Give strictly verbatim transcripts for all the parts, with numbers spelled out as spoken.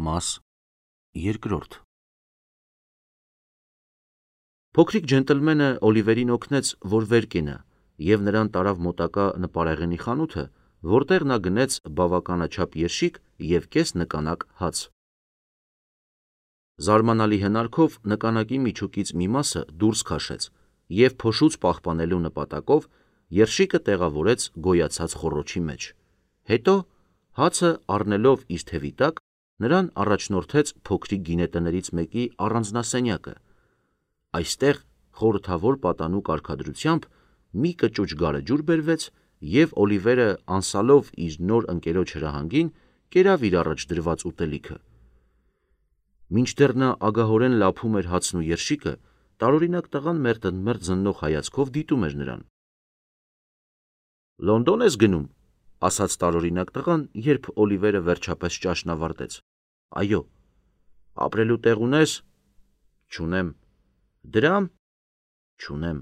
Մաս երկրորդ Փոքրիկ ջենտլմենը Օլիվերին օգնեց, որ վեր կենա, և նրան տարավ մոտակա նպարեղենի խանութը, որտեղ նա գնեց բավականաչափ երշիկ և կես նկանակ հաց։ Զարմանալի հնարքով նկանակի միջուկից մի մասը դուրս քաշեց և փոշուց պահպանելու նպատակով երշիկը տեղավորեց գոյացած խոռոչի մեջ։ Հետո, հացը առնելով իր թևի տակ, նրան առաջնորդեց փոքրիկ գինետներից մեկի առանձնասենյակը։ Այստեղ խորհրդավոր պատանու կարգադրությամբ մի կճուճ գարեջուր բերվեց, և Օլիվերը անսալով իր նոր ընկերոջ հրահանգին, կերավ իր առաջ դրված ուտելիքը։ Մինչդեռ նա ագահորեն լափում էր հացն ու երշիկը, տարօրինակ տղան մերթընդմերթ զննող հայացքով դիտում էր նրան։ «Լոնդո՞ն ես գնում», ասաց տարօրինակ տղան, երբ Օլիվերը վերջապես ճաշն ավարտեց։ «Այո»։ «Ապրելու տեղ ունե՞ս»։ «Չունեմ»։ «Դրամ»։ «Չունեմ»։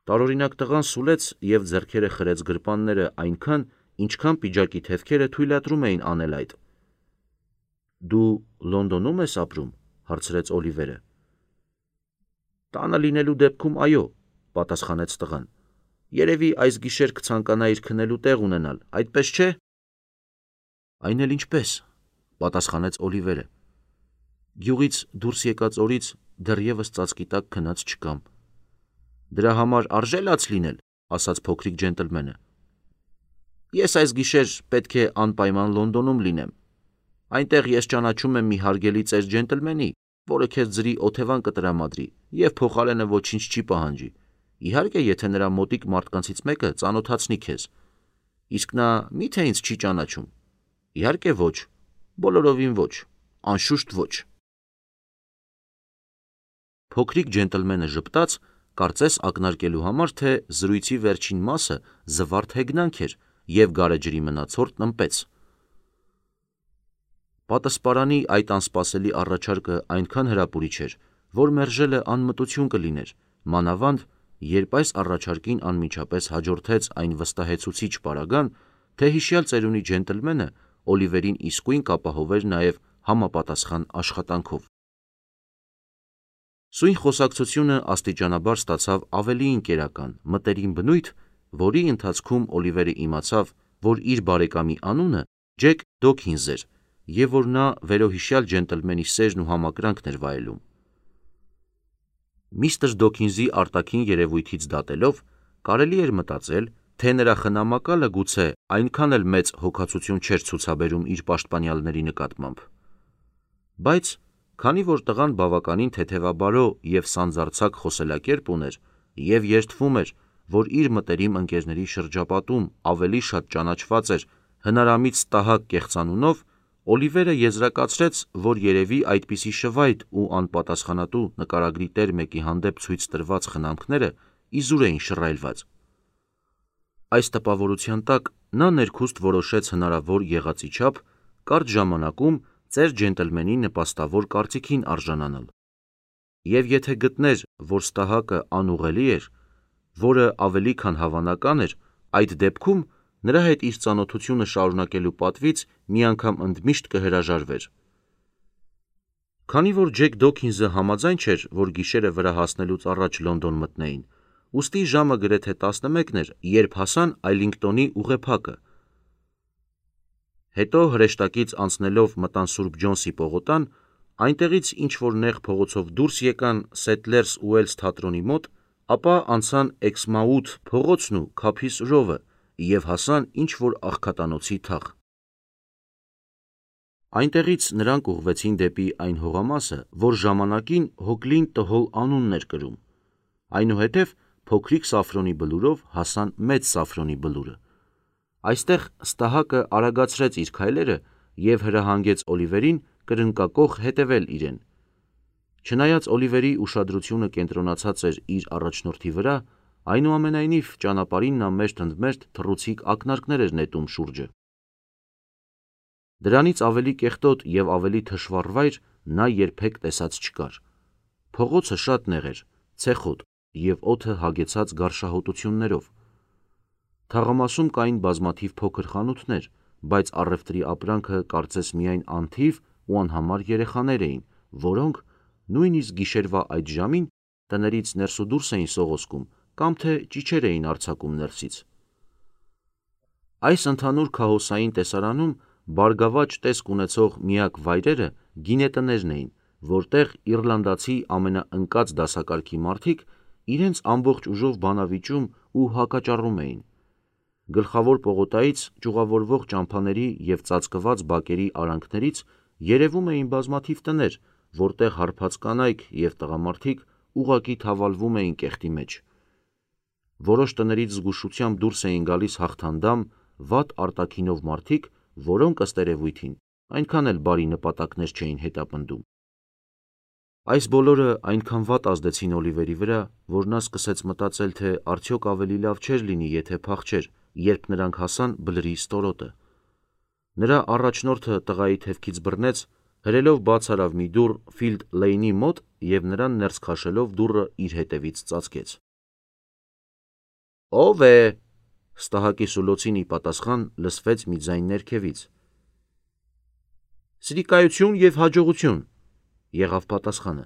Տարօրինակ տղան սուլեց և ձեռքերը խրեց գրպանները այնքան, ինչքան պիջակի թևքերը թույլատրում էին անել այդ։ «Դու Լոնդոնում ես ապրում», հարցրեց Օլիվերը։ «Տանը լինելու դեպքում, այո», պատասխանեց տղան։ «Երևի այս գիշեր կցանկանայիր քնելու տեղ ունենալ, այդպես չէ»։ «Այն էլ ինչպես», պատասխանեց Օլիվերը։ «Գյուղից դուրս եկած օրից դեռևս ծածկի տակ քնած չկամ»։ «Դրա համար արժե՞ լաց լինել», ասաց փոքրիկ ջենտլմենը։ «Ես այս գիշեր պետք է անպայման Լոնդոնում լինեմ։ Այնտեղ ես ճանաչում եմ մի հարգելի ծեր ջենտլմենի, որը քեզ ձրի օթևան կտրամադրի և փոխարենը ոչինչ չի պահանջի, իհարկե, եթե նրա մոտիկ մարդկանցից մեկը ծանոթացնի քեզ։ Իսկ նա մի՞թե ինձ չի ճանաչում։ Իհարկե ոչ, բոլորովին ոչ, անշուշտ ոչ»։ Փոքրիկ ջենտլմենը ժպտաց, կարծես ակնարկելու համար, թե զրույցի վերջին մասը զվարթ հեգնանք էր, և գարեջրի մնացորդն ըմպեց։ Պատսպարանի այդ անսպասելի առաջարկը այնքան հրապուրիչ էր, որ մերժելը անմտություն կլիներ, մանավանդ, երբ այս առաջարկին անմիջապես հաջորդեց այն վստահեցուցիչ պարագան, թե հիշյալ ծերունի ջենտլմենը Օլիվերին իսկույն կապահովեր նաև համապատասխան աշխատանքով։ Սույն խոսակցությունը աստիճանաբար ստացավ ավելի ընկերական, մտերիմ բնույթ, որի ընթացքում Օլիվերը իմացավ, որ իր բարեկամի անունը Ջեք Դոքինզ էր, և որ նա վերոհիշյալ ջենտլմենի սերն ու համակրանքն էր վայելում։ Միստր Դոքինզի արտաքին երևույթից դատելով, կարելի էր մտածել, թե նրա խնամակալը գուցե այնքան էլ մեծ հոգացություն չէր ցուցաբերում իր պաշտպանյալների նկատմամբ։ Բայց քանի որ տղան բավականին թեթևաբարո և սանձարձակ խոսելակերպ ուներ և երդվում էր, որ իր մտերիմ ընկերների շրջապատում ավելի շատ ճանաչված էր հնարամիտ ստահակ կեղծանունով, Օլիվերը եզրակացրեց, որ երևի այդպիսի շվայտ ու անպատասխանատու նկարագրի տեր մեկի հանդեպ ցույց տրված խնամքները իզուր էին շռայլված։ Այս տպավորության տակ նա ներքուստ որոշեց հնարավոր եղածի չափ կարճ ժամանակում ծեր ջենտլմենի նպաստավոր կարծիքին արժանանալ։ Եվ եթե գտներ, որ ստահակը անուղղելի էր, որը ավելի քան հավանական էր, այդ դեպքում նրա հետ իր ծանոթությունը շարունակելու պատվից մի անգամ ընդմիշտ կհրաժարվեր։ Քանի որ Ջեք Դոքինզը համաձայն չէր, որ գիշերը վրա հասնելուց առաջ Լոնդոն մտնեին, ուստի ժամը գրեթե տասնմեկն էր, երբ հասան Այլինգտոնի ուղեփակը։ Հետո հրեշտակից անցնելով մտան Սուրբ Ջոնսի պողոտան, այնտեղից ինչ-որ նեղ փողոցով դուրս եկան Սեթլերս Ուելս թատրոնի մոտ, ապա անցան Էքսմաութ փողոցն ու Քափիս Ռովը և հասան ինչ-որ աղքատանոցի թաղ։ Այնտեղից նրանք ուղղվեցին դեպի այն հողամասը, որ ժամանակին Հոգլին Տհոլ անունն էր կրում։ Այնուհետև փոքրիկ Սաֆրոնի բլուրով հասան Մեծ Սաֆրոնի բլուրը։ Այստեղ ստահակը արագացրեց իր քայլերը և հրահանգեց Օլիվերին կրնկակոխ հետևել իրեն։ Չնայած Օլիվերի ուշադրությունը կենտրոնացած էր իր առաջնորդի վրա, այնուամենայնիվ ճանապարհին նա մերթընդմերթ թռուցիկ ակնարկներ էր նետում շուրջը։ Դրանից ավելի կեղտոտ և ավելի թշվառ վայր նա երբեք տեսած չկար։ Փողոցը շատ նեղ էր, ցեխոտ և օդը հագեցած գարշահոտություններով։ Թաղամասում կային բազմաթիվ փոքր խանութներ, բայց առևտրի ապրանքը կարծես միայն անթիվ ու անհամար երեխաներ էին, որոնք նույնիսկ գիշերվա այդ ժամին տներից ներս ու դուրս էին սողոսկում կամ թե ճիչեր էին արձակում ներսից։ Այս ընդհանուր քահոսային տեսարանում բարգավաճ տեսք ունեցող միակ վայրերը գինետներն էին, որտեղ իռլանդացի ամենաընկած դասակարգի մարդիկ իրենց ամբողջ ուժով բանավիճում ու հակաճառում էին։ Գլխավոր պողոտայից ճյուղավորվող ճամփաների և ծածկված բակերի արանքներից երևում էին բազմաթիվ տներ, որտեղ հարբած կանայք և տղամարդիկ ուղղակի թավալվում էին կեղտի մեջ։ Որոշ տներից զգուշությամբ դուրս էին գալիս հաղթանդամ, վատ արտաքինով մարդիկ, որոնք ըստ երևույթին այնքան էլ բարի նպատակներ չէին հետապնդում։ Այս բոլորը այնքան վատ ազդեցին Օլիվերի վրա, որ նա սկսեց մտածել, թե արդյոք ավելի լավ չէր լինի, եթե փախչեր, երբ նրանք հասան բլրի ստորոտը։ Նրա առաջնորդը տղայի թևքից բռնեց, հրելով բաց արավ մի դուռ Ֆիլդ Լեյնի մոտ և նրան ներս քաշելով դուռը իր հետևից ծածկեց։ «Ո՞վ է»։ Ստահակի սուլոցին ի պատասխան լսվեց մի ձայն ներքևից։ «Սրիկայություն և հաջողություն», եղավ պատասխանը։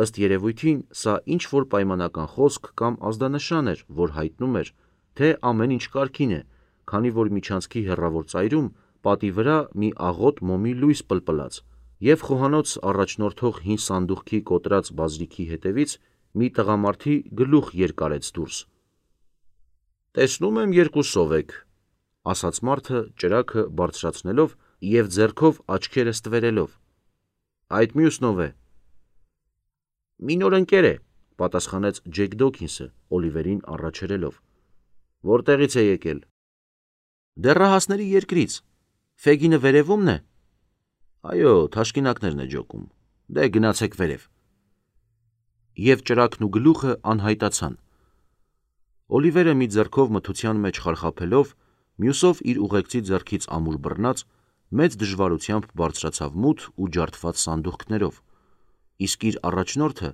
Ըստ երևույթին սա ինչ-որ պայմանական խոսք կամ ազդանշան էր, որ հայտնում էր, թե ամեն ինչ կարգին է, քանի որ միջանցքի հեռավոր ծայրում պատի վրա մի աղոտ մոմի լույս պլպլաց, և խոհանոց առաջնորդող հին սանդուղքի կոտրած բազրիքի հետևից մի տղամարդի գլուխ երկարեց դուրս։ «Տեսնում եմ երկուսով եք», ասաց մարդը ճրագը բարձրացնելով և ձեռքով աչքերը ստվերելով։ «Այդ մյուսն ով է»։ «Մի նոր ընկեր է», պատասխանեց Ջեք Դոքինսը Օլիվերին առաջերելով։ «Որտեղից է եկել»։ «Դեռահասների երկրից։ Ֆեգինը վերևումն է»։ «Այո, թաշկինակներն է ջոկում։ Դե գնացեք վերև»։ Եվ ճրագն ու գլուխը անհայտացան։ Օլիվերը մի ձեռքով մթության մեջ խարխափելով, մյուսով իր ուղեկցի ձեռքից ամուր բռնած, մեծ դժվարությամբ բարձրացավ մութ ու ջարդված սանդուղքներով, իսկ իր առաջնորդը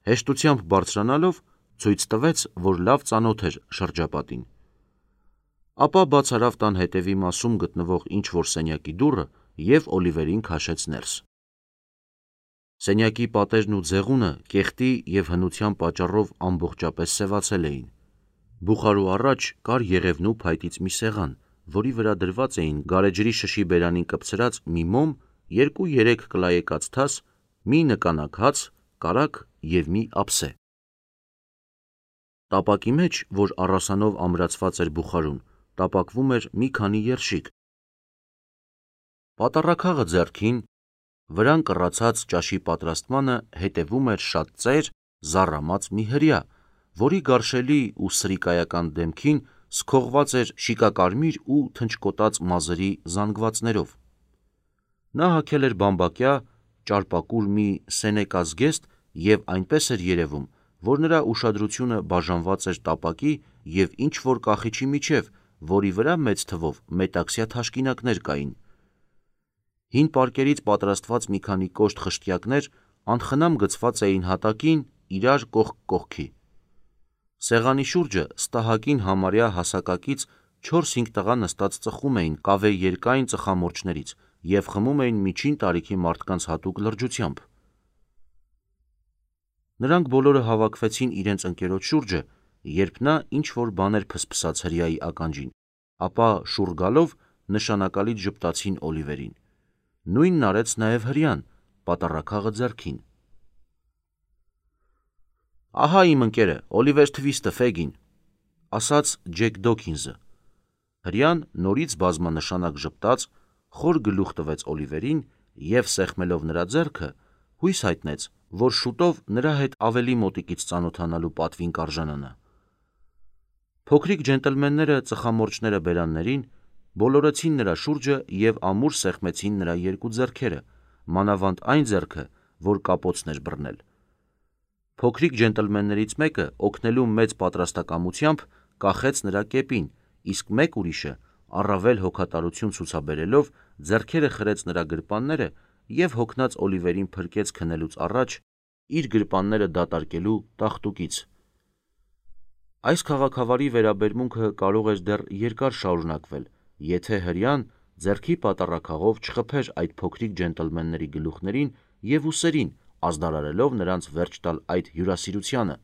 հեշտությամբ բարձրանալով ցույց տվեց, որ լավ ծանոթ էր շրջապատին։ Ապա բաց արավ տան հետևի մասում գտնվող ինչ-որ սենյակի դուռը և Օլիվերին քաշեց ներս։ Սենյակի պատերն ու ձեղունը կեղտի և հնության պատճառով ամբողջապես սևացել էին։ Բուխարու առաջ կար եղևնու փայտից մի սեղան, որի վրա դրված էին գարեջրի շշի բերանին կպցրած մի մոմ, երկու-երեք կլայեկած թաս, մի նկանակ հաց, կարագ և մի ափսե։ Տապակի մեջ, որ առասանով ամրացված էր բուխարուն, տապակվում էր մի քանի երշիկ։ Պատառաքաղը ձեռքին, վրան կռացած ճաշի պատրաստմանը հետևում էր շատ ծեր, զառամած մի հրեա, որի գարշելի ու սրիկայական դեմքին սքողված էր շիկակարմիր ու թնչկոտած մազերի զանգվածներով։ Նա հագել էր բամբակյա, ճարպակուր մի սենեկա զգեստ և այնպես էր երևում, որ նրա ուշադրությունը բաժանված էր տապակի և ինչ-որ կախիչի միջև, որի վրա մեծ թվով մետաքսյա թաշկինակներ կային։ Հին պարկերից պատրաստված մի քանի կոշտ խշտյակներ անխնամ գցված էին հատակին իրար կողք կողքի։ Սեղանի շուրջը ստահակին համարյա հասակակից չորս-հինգ տղա նստած ծխում էին կավե երկայն ծխամորճներից և խմում էին միջին տարիքի մարդկանց հատուկ լրջությամբ։ Նրանք բոլորը հավաքվեցին իրենց ընկերոջ շուրջը, երբ նա ինչ-որ բաներ փսփսաց հրեայի ականջին, ապա շուռ գալով նշանակալից ժպտացին Օլիվերին։ Նույնն արեց նաև հրեան, պատառաքաղը ձեռքին։ «Ահա իմ ընկերը, Օլիվեր Թվիստը, Ֆեգին», ասաց Ջեք Դոքինսը։ Հրեան նորից բազմանշանակ ժպտաց, խոր գլուխ տվեց Օլիվերին և, սեղմելով նրա ձեռքը, հույս հայտնեց, որ շուտով նրա հետ ավելի մոտիկից ծանոթանալու պատվին կարժանանա։ Փոքրիկ ջենտլմենները ծխամորճները բերաններին, բոլորեցին նրա շուրջը և ամուր սեղմեցին նրա երկու ձեռքերը, մանավանդ այն ձեռքը, որ կապոցն էր բռնել։ Փոքրիկ ջենտլմեններից մեկը օգնելու մեծ պատրաստակամությամբ կախեց նրա կեպին, իսկ մեկ ուրիշը, առավել հոգատարություն ցուցաբերելով, ձեռքերը խրեց նրա գրպանները և հոգնած Օլիվերին փրկեց քնելուց առաջ իր գրպանները դատարկելու տախտուկից։ Այս քաղաքավարի վերաբերմունքը կարող էր դեռ երկար շարունակվել, եթե հրեան ձեռքի պատառաքաղով չխփեր այդ փոքրիկ ջենտլմենների գլուխներին և ուսերին, ազդարարելով նրանց վերջ տալ այդ հյուրասիրությանը։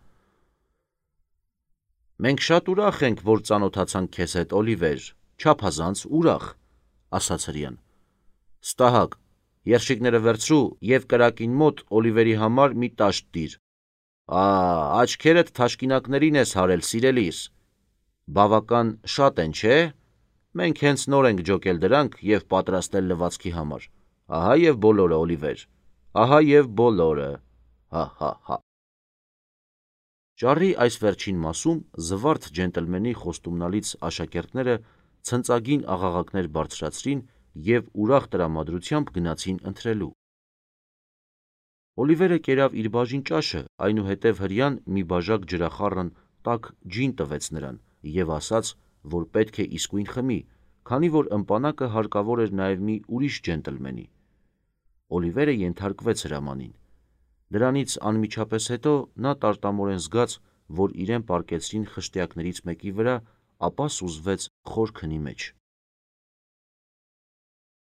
«Մենք շատ ուրախ ենք, որ ծանոթացանք քեզ հետ, Օլիվեր, չափազանց ուրախ», ասաց հրեան։ «Ստահակ, երշիկները վերցրու և կրակին մոտ Օլիվերի համար մի տաշտ դիր։ Ա, աչքերդ թաշկինակներին ես հարել, սիրելիս։ Բավական շատ են, չէ՞։ Մենք հենց նոր ենք ջոկել դրանք և պատրաստել լվացքի համար։ Ահա և բոլորը, Օլիվեր, ահա և բոլորը, հա հա հա»։ Ճառի այս վերջին մասում զվարթ ջենտլմենի խոստումնալից աշակերտները ցնծագին աղաղակներ բարձրացրին և ուրախ տրամադրությամբ գնացին ընթրելու։ Օլիվերը կերավ իր բաժին ճաշը, այնուհետև հրեան մի բաժակ ջրախառն տաք ջին տվեց նրան և ասաց, որ պետք է իսկույն խմի, քանի որ ըմպանակը հարկավոր էր նաև մի ուրիշ ջենտլմենի։ Օլիվերը ենթարկվեց հրամանին։ Դրանից անմիջապես հետո նա տարտամորեն զգաց, որ իրեն պառկեցրին խշտյակներից մեկի վրա, ապա սուզվեց խոր քնի մեջ։